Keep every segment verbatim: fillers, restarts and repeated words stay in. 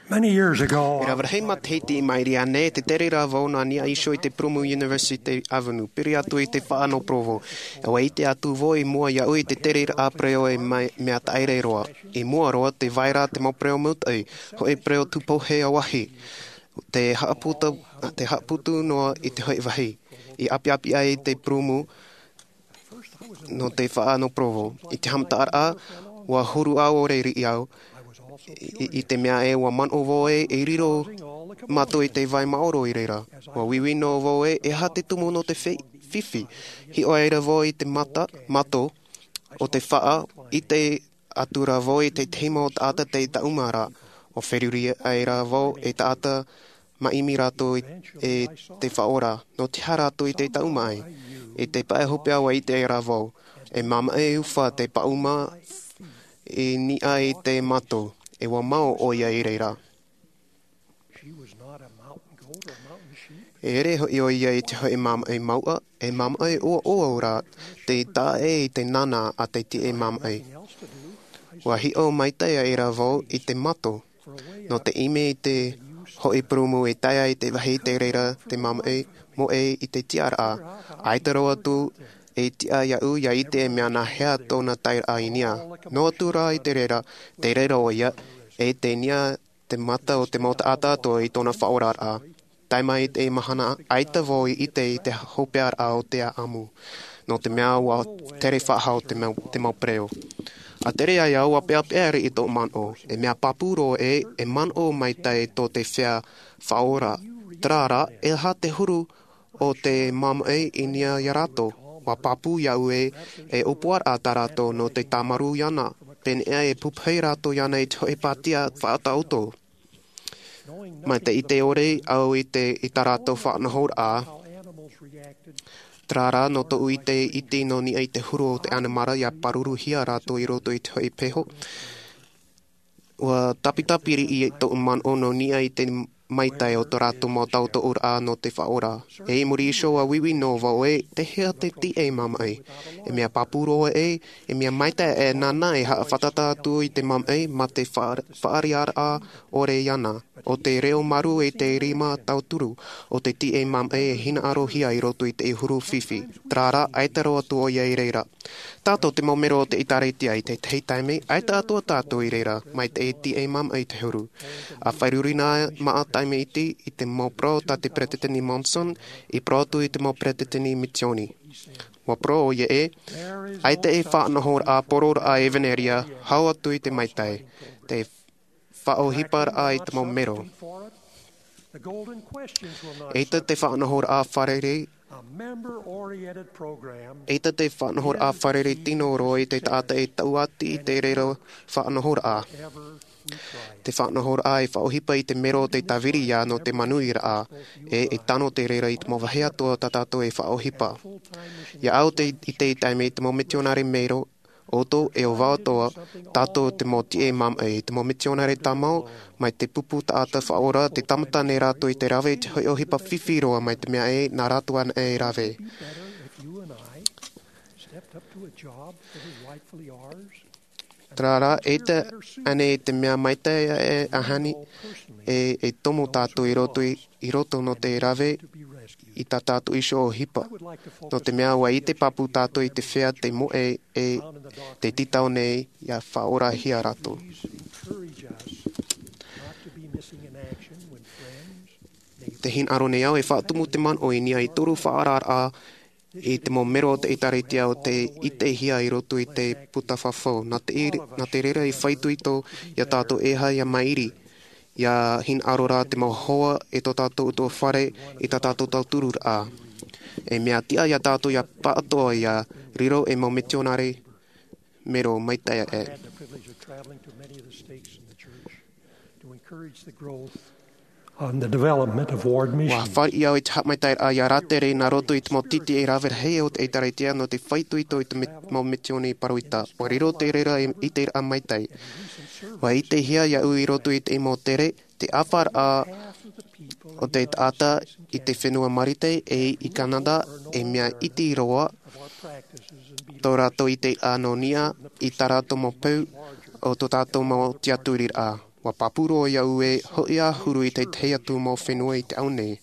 Many years ago, e rave rahi matahiti i maʻiri aʻe nei, tē tere ra vau nā niʻa iho i te purūmu University Avenue, piri atu i te faʻa nō Provo. ʻUa ʻite atu vau i mua iāʻu i te tereraʻa pereoʻo e mai, mea taʻere roa. I mua roa, tē vai ra te mau pereo maitaʻi, hōʻē pereo tūpohe ʻāvahi. Tē haʻaputu, tē haʻaputu noa i te hōʻē vāhi. I ʻapiʻapi ai te purūmu nō te faʻa nō Provo. I te haʻamataraʻa, ʻua huru ʻaore riʻi au. I, i te mea ē, ʻua manaʻo vau ē, e riro mātou i te vai maoro i reira. ʻUa uiui noa vau ē, e aha te tumu nō te fe-, fifi. Hiʻo aʻera vau i te mata, mato o te faʻa, ʻite atu ra vau i te tahi mau taʻata tei taʻuma ra. ʻUa feruri aʻera vau e taʻata māʻimi rātou i, e te Faʻaora. Nō te aha rātou i te taʻuma ai? I te pae hopeʻa ʻua ʻite aʻera vau. E māmaʻa e ufa te paʻuma i niʻa i te mato. E ʻua mao ʻoia i reira. E ʻere hoʻi ʻoia i te hōʻē māmaʻa mauʻa, e māmaʻa ʻoaʻoa rā, tei taʻa ʻē i te nānā a te tiʻa māmaʻa. ʻUa hiʻo maitaʻi aʻera vau i te mato. Nō te ʻimi i te hōʻē purūmu e tae ai te vāhi tei reira te māmaʻa, mōʻē i te tiʻaraʻa. ʻAita roa atu e tiʻa iāʻu ʻia ʻite e mea nā hea tōna taeraʻa i niʻa. Noa atu rā i te reira, tei reira ʻoia, e tei niʻa te mata o te mau taʻata atoʻa i tōna faʻaoraraʻa. Tae mai i te mahana, ʻaita vau i ʻite i te hopeʻaraʻa o te ʻāʻamu. Nō te mea ʻua tere faʻahou te mau, te mau pereo. ʻA tere ai au ʻua peʻapeʻa riʻi tōʻu manaʻo. E mea pāpū roa ē, e manaʻo maitaʻi tō te feiā faʻaora. Terā rā, e aha te huru o te māmaʻa i niʻa iā rātou. ʻUa pāpū iāʻu ē, e ʻōpuaraʻa tā rātou nō te tāmarū iāna. Pēneiaʻe e pupuhi rātou iāna i te hōʻē pātia faʻataʻoto. Mai te ʻite ʻore au i te, i tā rātou faʻanahoraʻa. Terā rā, nō tōʻu ʻite iti nō niʻa i te huru o te ʻanimara ʻia pāruruhia rātou i roto i te hōʻē peho. ʻUa tāpitapiri i tōʻu manaʻo nō niʻa i te maitaʻi o tō rātou mau tautoʻoraʻa nō te faʻaora. E i muri iho ʻua uiui noa vau ē, tei hea te tiʻa māmaʻa. E mea pāpū roa ē, e mea maitaʻi e nāna e haʻafātata atu i te māmaʻa, mā te fa-, faʻaararaʻa ʻore iāna. ʻO te reo marū e te rima tauturu, ʻo te tiʻa māmaʻa e hinaʻarohia i roto i te huru fifi. Terā rā, ʻaita roa atu ʻoia i reira. Tātou te mau mero o te ʻĒkālesia i te tahi taime, ʻaita atoʻa tātou i reira, mai te tiʻa māmaʻa i te huru. ʻA feruri noa maʻa taime iti i te mau parau tā te Peresideni Monson, i parau atu i te mau peresideni misiōni. ʻUa parau ʻoia ē, ʻaita e faʻanahoraʻa poroʻraʻa ʻevanelia, hau atu i te maitaʻi, te faʻaʻohiparaʻa i te mau mero. ʻAita te faʻanahoraʻa fārerei, ʻaita te faʻanahoraʻa fārerei tino roa i te taʻata e tauati i te reira faʻanahoraʻa. Te faʻanahoraʻa e faʻaʻohipa i te mero o te tāviri ia nō te manuiraʻa, e, e tano te reira i te mau vāhi atoʻa tā tātou e faʻaʻohipa. ʻIa au te, i te taime i te mau mitionare mero, ʻoutou e ʻo vau atoʻa, tātou te mau tiʻa māmaʻa, te mau mitionare tāmau, mai te pupu taʻata faʻaora, tē tāmata nei rātou i te rave i te hōʻē ʻohipa fifi roa mai te mea ē, nā rātou anaʻe e rave. Terā rā, ʻaita ānei te mea maitaʻi e ahani, e, e tomo tātou i roto i, i roto nō te rave i tā tātou iho ʻohipa. Nō te mea ʻua ʻite pāpū tātou i te feiā tei moʻe e tei tītau nei ʻia faʻaorahia rātou. Tē hinaʻaro nei au e faʻatumu te manaʻo i niʻa i toru faʻaararaʻa i te mau mero o te ʻĒkālesia ʻo tei ʻitehia i roto i te puta fafau. Nā te ir-, nā te reira e faʻaitoito ia tātou e aha ʻia mairi, ʻia hinaʻaro rā te mau hoa e tō tātou ʻutuāfare i tā tātou tautururaʻa. E mea tiʻa ia tātou ʻia pāʻatoʻa ʻia riro e mau mitionare mero maitaʻi ē. Had the privilege of traveling to many of the stakes in the church to encourage the growth and the development of ward missions. ʻUa fāriʻi au i te haʻamaitaʻiraʻa ʻia rātere nā roto i te mau tītī e rave rahi o te ʻĒkālesia nō te faʻaitoito i te mi-, mau misiōni pāroita. ʻUa riro te reira e ʻiteraʻa maitaʻi. ʻUa ʻitehia iāʻu i roto i te mau tere, te ʻāfaraʻa o te taʻata i te fenua Marite e i Canada e mea iti roa tō rātou ʻiteraʻa nō niʻa i tā rātou mau peu o tō tātou mau tiaturiraʻa. ʻUa pāpū roa iāʻu e hoʻi ā huru i te tahi atu mau fenua i te ao nei.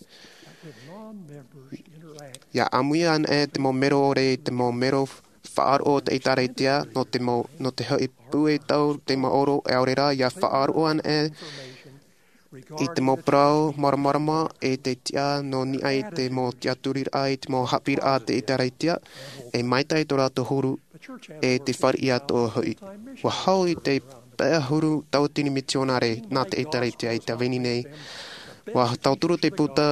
ʻIa ʻāmui ana e te mau mero ʻore i te mau mero faʻaroʻo o te ʻĒtārētia, nō te mau, nō te hoʻi pūʻe tau te maoro e ʻaore rā, ʻia faʻaroʻo ana e i te mau parau māramarama e te tiʻa nō niʻa i te mau tiʻaturiraʻa i te mau haʻapiʻiraʻa a te ʻĒtārētia, e maitaʻi tō rātou huru e te fāriʻi atoʻa hoʻi. ʻUa hau i te pae ʻahuru tauatini mitionare nā te ʻĒtārētia i te vāhi nei. ʻUa tauturu te puta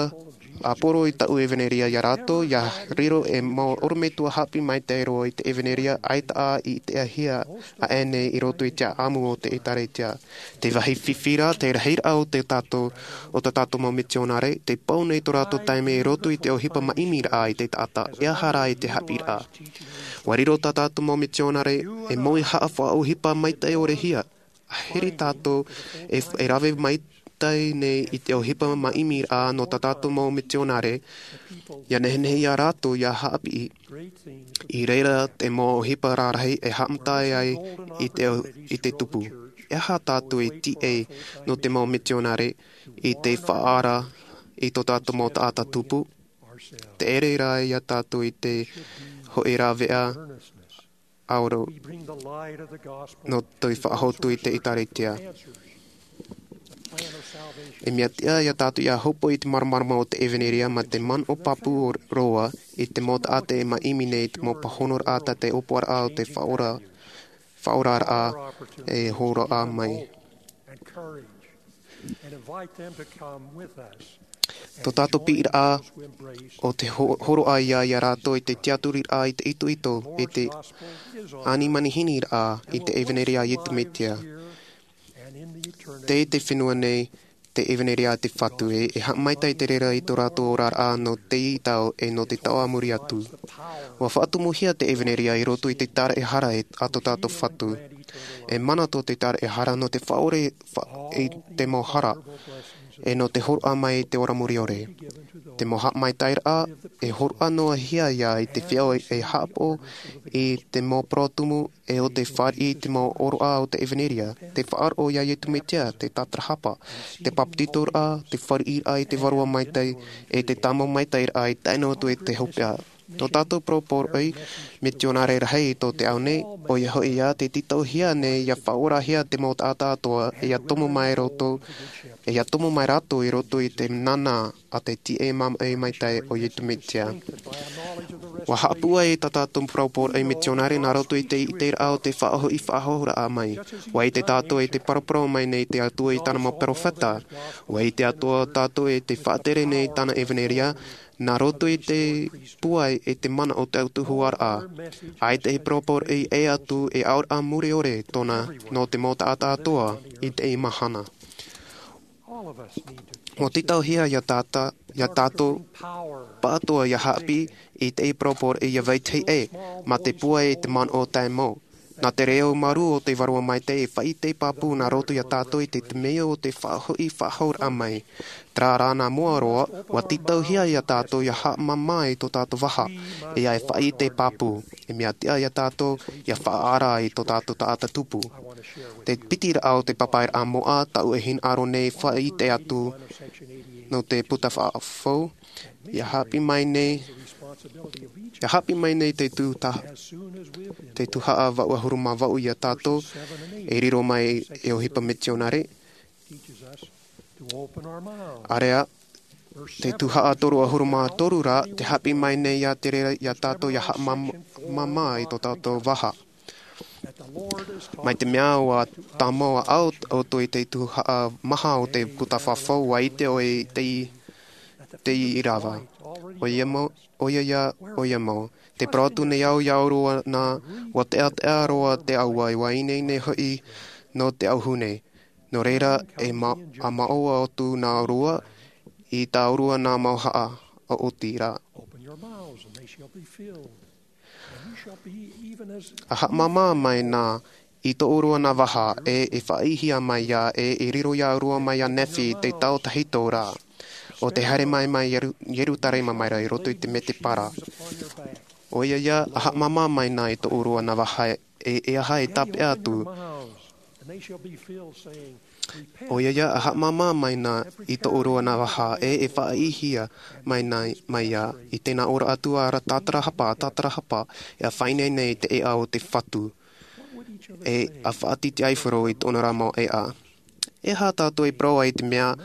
ʻāpōro i tāʻu ʻevanelia iā rātou, ʻia riro e mau ʻorometua haʻapiʻi maitaʻi roa i te ʻevanelia ʻaita ā i te ʻāhia aʻe nei i roto i te ʻāʻamu o te ʻĒtārētia. Te vāhi fifi rā, te rahiraʻa o te tātou, o tā tātou mau mitionare, tē pau nei tō rātou taime i roto i te ʻohipa māʻimiraʻa i te taʻata, e aha rā i te haʻapiʻiraʻa. ʻUa riro tā tātou mau mitionare e moʻe haʻafaʻaʻohipa maitaʻi ʻore hia. Ahiri tātou e, e rave maitaʻi nei i te ʻohipa māʻimiraʻa nō tā tātou mau mitionare, ʻia nehenehe iā rātou ʻia haʻapiʻi. I reira te mau ʻohipa rarahi e haʻamata ai i te, i te tupu. E aha tātou e tīaʻi nō te mau mitionare i te faʻaara i tō tātou mau taʻata tupu? Te ʻere rā iā tātou i te hoʻi rāveʻa ʻaore nō te faʻahotu i te ʻĒtārētia. E mea tiʻa iā tātou ʻia hōpoi i te māramarama o te ʻevanelia mā te manaʻo pāpū roa i te mau taʻata e māʻimi nei i te mau pāhonoraʻa, tā te ʻōpuaraʻa o te faʻaora, faʻaoraraʻa e hōroʻa mai. Tō tātou piʻiraʻa o te ho-, hōroʻa ia, iā rātou i te tiʻaturiraʻa i te itoito, i te ani manihiniraʻa i te ʻevanelia a Iesu Mesia. Tei te fenua nei te ʻevanelia a te Fatu e, e haʻamaitaʻi te reira i tō rātou oraraʻa nō teie tau e nō te tau a muri atu. ʻUa faʻatumuhia te ʻevanelia i roto i te taraehara e, a tō tātou Fatu. E mana tō te taraehara nō te faʻaʻore, fa-, i te mau hara, e nō te hōroʻa mai i te ora muriʻore. Te mau haʻamaitaʻiraʻa, e hōroʻa noa hia ia i te feiā e haʻapaʻo i te mau parau tumu, e ʻo te fāriʻi i te mau ʻōroʻa o te ʻevanelia, te faʻaroʻo iā Iesu Mesia, te tātarahapa, te bāpetizoraʻa, te fāriʻiraʻa i te Vārua Maitaʻi, e te tāmau maitaʻiraʻa i tae noa atu i te hopeʻa. Tō tātou parau poroʻi mitionare rahi i tō te ao nei, ʻoia hoʻi ia te tītauhia nei ʻia faʻaorahia te mau taʻata atoʻa, e ʻia tomo mai roto, e ʻia tomo mai rātou i roto i te nānā a te tīaʻi māʻohi maitaʻi o Iesu Mesia. ʻUa haʻapūai tā tātou parau poroʻi mitionare nā roto i te ʻiteraʻa o te faʻahoʻi faʻahouraʻa mai. ʻUa ʻite tātou i te paraparau mai nei te Atua i tāna mau perofeta. ʻUa ʻite atoʻa tātou i te faʻatere nei tāna ʻevanelia, nā roto i te pūai e te mana o te autahuʻaraʻa. ʻAita e parau poroʻi e ʻē atu e auraʻa muriʻore tōna nō te mau taʻata atoʻa i teie mahana. ʻUa tītauhia iā tāta-, iā tātou pāʻatoʻa ʻia haʻapiʻi i teie parau poroʻi ʻia vetahi ʻē, mā te pūai e te manaʻo tae mau. Nā te reo marū o te Vārua Maitaʻi e faʻaʻite pāpū nā roto iā tātou i te, te mea o te faʻahoʻi faʻahouraʻa mai. Terā rā nā mua roa, ʻua tītauhia iā tātou ʻia haʻamāmā i tō tātou vaha, e ʻia faʻaʻite pāpū. E mea tiʻa iā tātou ʻia faʻaara i tō tātou taʻata tupu. Te piti raʻa o te pāpaʻiraʻa moʻa, tāʻu e hinaʻaro nei e faʻaʻite atu nō te puta faʻafou, ʻia haʻapiʻi mai nei, ʻia haʻapiʻi mai nei te tū ta-, te tuhaʻa vaʻu ʻahuru mā vaʻu iā tātou, e riro mai e ʻohipa mitionare. ʻĀreʻa, te tuhaʻa toru ʻahuru mā toru rā, te haʻapiʻi mai nei iā te reira iā tātou ʻia haʻamāmā i tō tātou vaha. Mai te mea ʻua tāmau ʻāʻau ʻoutou i te tuhaʻa maha o te puta faʻafou, ʻua ʻite ʻoe i te, te ʻīrava. ʻOia mau, ʻoia ia, ʻoia mau. Tē parau atu nei au iā ʻōrua nā, ʻua teʻateʻa roa te ʻāua, ʻua ineine hoʻi nō te auahi nei. Nō reira, e ma-, ʻa māʻoa atu nā ʻōrua, i tā ʻōrua nā mau haʻa, ʻo oti rā. ʻA haʻamāmā mai nā, i tō ʻōrua nā vaha, e, e faʻaʻīhia mai ia, e, e riro iā ʻōrua mai iā Nephi, te tau tahito rā. ʻO te haere mai mai Ieru-, Ierutarema mai ra i roto i te mētēpara. ʻOia ia, ʻa haʻamāmā mai nā i tō ʻōrua nā vaha, e, e aha e tāpeʻa atu. ʻOia ia, e haʻamāmā mai na i tō ʻoe vaha, e, e faʻaʻitehia mai na, mai ia, i tēnā ora atu ā ra tātarahapa, tātarahapa, e faʻaineine i te ʻēʻa o te Fatu. E, e faʻatītīʻaifaro i tōna ra mau ʻēʻa. E aha tātou e parau ai i te mea,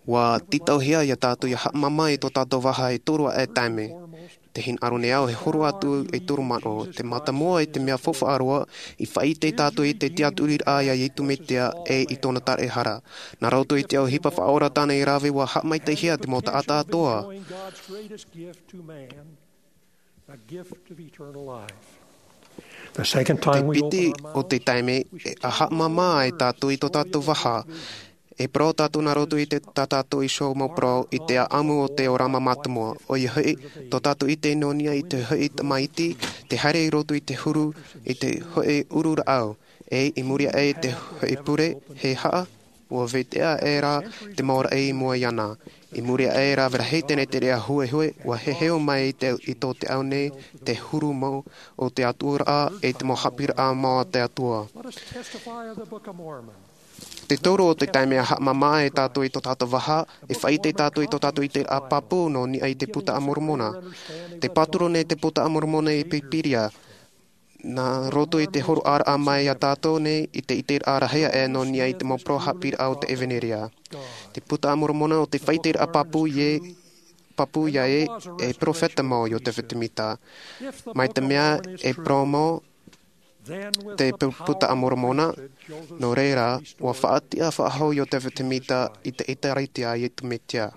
ʻua tītauhia ia tātou ʻia haʻamāmā i tō tātou vaha e toru aʻe taime. Te hinaʻaro nei au e horo atu e toru manaʻo. Te mātāmua i te mea faufaʻa roa, i faʻaʻite tātou i te tiʻaturiraʻa ia Iesu Mesia e i tōna taraehara. Nā roto i te ʻohipa faʻaora tāna i rave ʻua haʻamaitaʻihia te mau taʻata atoʻa. Te piti o te taime, e, e haʻamāmā ai tātou i tō tātou vaha. E parau tātou nā roto i te, tā tātou iho mau parau i te ʻāʻamu o te ʻōrama mātāmua. ʻOia hoʻi, tō tātou ʻite nō niʻa i te hōʻē tamaiti, te haere i roto i te huru, i te hōʻē ʻuru rāʻau. E, i muri aʻe i te hōʻē pure, e aha, ʻua vetahi ʻē rā te mau raʻi i mua iāna. I muri aʻe e rave rahi teie te reira huehue, ʻua heheu mai i te, i tō te ao nei, te huru mau o te Atua ra, e te mau haʻapiʻiraʻa mau a te Atua. Te toru o te taime e haʻamāmā ai tātou i tō tātou vaha, e faʻaʻite tātou i tō tātou ʻiteraʻa pāpū nō niʻa i te Buka a Moromona. Te pāturu nei te Buka a Moromona i Pīpīria, nā roto i te hōroʻaraʻa mai ia tātou nei i te ʻiteraʻa rahi aʻe nō niʻa i te mau parau haʻapiʻiraʻa o te ʻEvaneria. Te Buka a Moromona ʻo te faʻaʻiteraʻa pāpū ia, pāpū ia ē, e perofeta mau Iotefa Semita. Mai te mea e parau mau te pu-, Buka a Moromona, nō reira, ʻua faʻatiʻa faʻahou Iotefa Semita i te ʻĒkālesia a Iesu Mesia.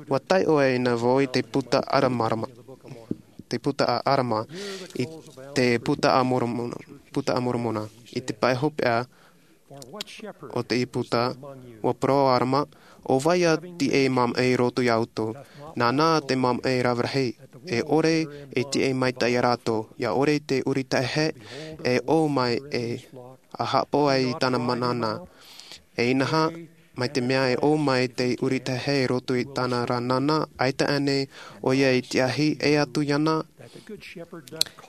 ʻUa taiʻo aʻe na vau i te Buka a Aramarama, te Buka a Arama, i te Buka a Moromona, Buka a Moromona, i te pae hopeʻa o te Buka, ʻua parau ʻo Arama, ʻo vai ā te tīaʻi māmaʻi i roto ia ʻoutou? Nāna te māmaʻi rave rahi, e ʻore e tīaʻi maitaʻi ia rātou, ʻia ʻore te ʻūrita hehē, e ʻō mai e, ʻa haʻapaʻo ai i tāna mana nānā. E inaha, mai te mea e ʻō mai te ʻūrita hehē i roto i tāna ra nānā, ʻaita ānei ʻoia i tīaʻi, ʻē atu iāna,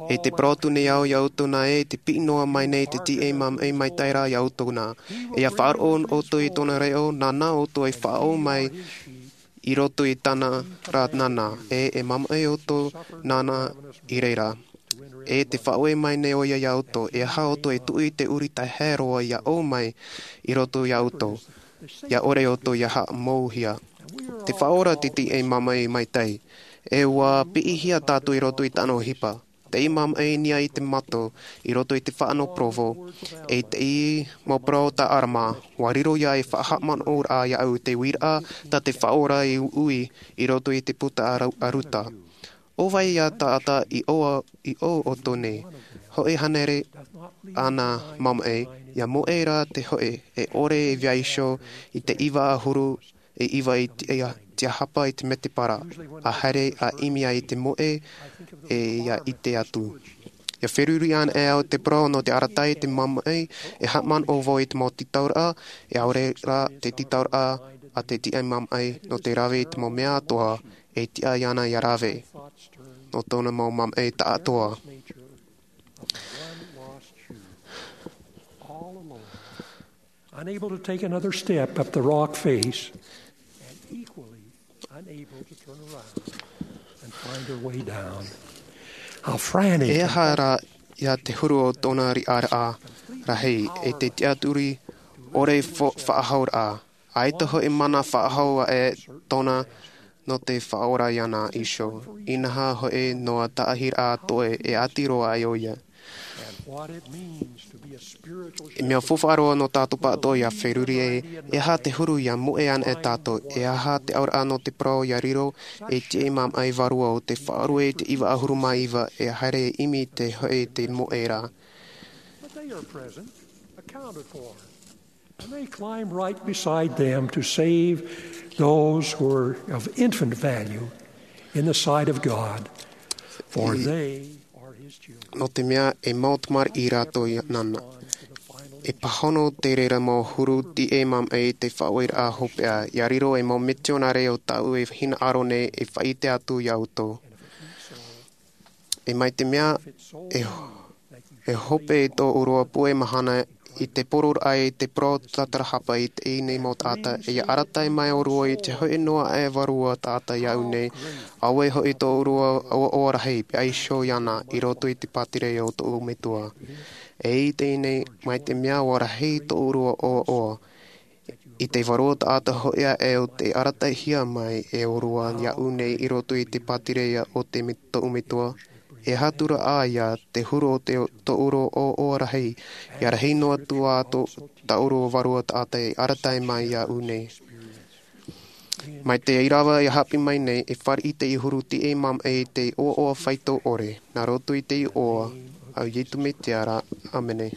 e tē parau atu nei au ia ʻoutou nā ē, tē piʻi noa mai nei te tīaʻi māmaʻi maitaʻi ra ia ʻoutou nā. E ʻia faʻaroʻo ʻoutou i tōna reo, nāna ʻoutou e faʻaō mai i roto i tāna ra nānā, e, e māmaʻi ʻoutou nāna i reira. E tē faʻaue mai nei ʻoia ia ʻoutou, e aha ʻoutou e tuʻu i te ʻūrita hehē roa ʻia ʻō mai i roto ia ʻoutou, ʻia ʻore ʻoutou ʻia haʻamouhia. Tē faʻaora te tīaʻi māmaʻi maitaʻi, e ʻua piʻihia tātou i roto i tāna ʻohipa. Te tīaʻi māmaʻi i niʻa i te mato, i roto i te fānaʻo Provo, e te tīaʻi mau parau tā Arama, ʻua riro ia e faʻahaʻamanaʻoraʻa iāʻu te uiraʻa tā te Faʻaora i uʻi i roto i te Buka a Ra-, a Ruta. ʻO vai ā taʻata i ʻō, i ʻō ʻoutou nei, hōʻē hānere āna māmaʻi, ʻia moʻe rā te hōʻē, e ʻore e vaiiho i te iva ʻahuru e iva i te, ia, te hapa i te mētēpara, ʻa haere ʻa ʻimi ai i te moʻe, e ʻia ʻite atu. ʻIa feruri ana e au te parau nō te arataʻi i te māmaʻi, e haʻamanaʻo vau i te mau tītauraʻa, e ʻaore rā te tītauraʻa a te tīaʻi māmaʻi nō te rave i te mau mea atoʻa, e tiʻa iāna ʻia rave, nō tōna mau māmaʻi taʻatoʻa. Unable to take another step up the rock face, and equally unable to turn around and find her way down. How frantic. E aha rā ia te huru o tōna riʻaraʻa rahi, e te tiʻaturi ʻore fo-, faʻahouraʻa. ʻAita hōʻē mana faʻahou aʻe tōna nō te faʻaora iāna iho. Inaha hōʻē noa taʻahiraʻa toe e ʻati roa ai ʻoia. What it means to be a spiritual E mea faufaʻa roa nō tātou pāʻatoʻa ʻia feruri e, e aha te huru ʻia moʻe ana e tātou, e aha te auraʻa nō te parau ʻia riro, e te māmaʻi vārua o te faʻarue i te iva ʻahuru mā iva, e haere e ʻimi te hōʻē te moʻe ra. But they are present, accounted for. And they climb right beside them to save those who are of infant value in the sight of God, for they are his children. Nō te mea e mau tamariʻi rātou iāna. E pāhono te reira mau huru tīaʻi māmaʻi i te faʻaueraʻa hopeʻa, ʻia riro e mau mitionare o tāʻu e hinaʻaro nei e faʻaʻite atu ia ʻoutou. E mai te mea, e, e hope i tō ʻōrua puʻe mahana i te poroʻraʻa i te parau tatarahapa i teie nei mau taʻata, e ia arataʻi mai ʻōrua i te hoʻi noa aʻe vārua taʻata iāʻu nei, auē hoʻi tō ʻōrua ʻoaʻoa rahi, pea iho iāna, i roto i te pātireia o tōʻu metua. E i teie nei, mai te mea ʻua rahi tō ʻōrua ʻoaʻoa, i te vārua taʻata hoʻi aʻe ʻo tei arataʻihia mai e ʻōrua iāʻu nei i roto i te pātireia o te me-, tōʻu metua, e aha atu ra ʻā ia te huru o te, tō ʻōrua ʻoaʻoa rahi, ia rahi noa atu ā tō, tā ʻōrua vārua taʻata e arataʻi mai iāʻu nei. Mai te ʻīrava ia haʻapiʻi mai nei, e fāriʻi te huru tiʻa māmā i te ʻoaʻoa faito ʻore, nā roto i te iʻoa, ʻo Iesu Mesia ra, ʻāmene.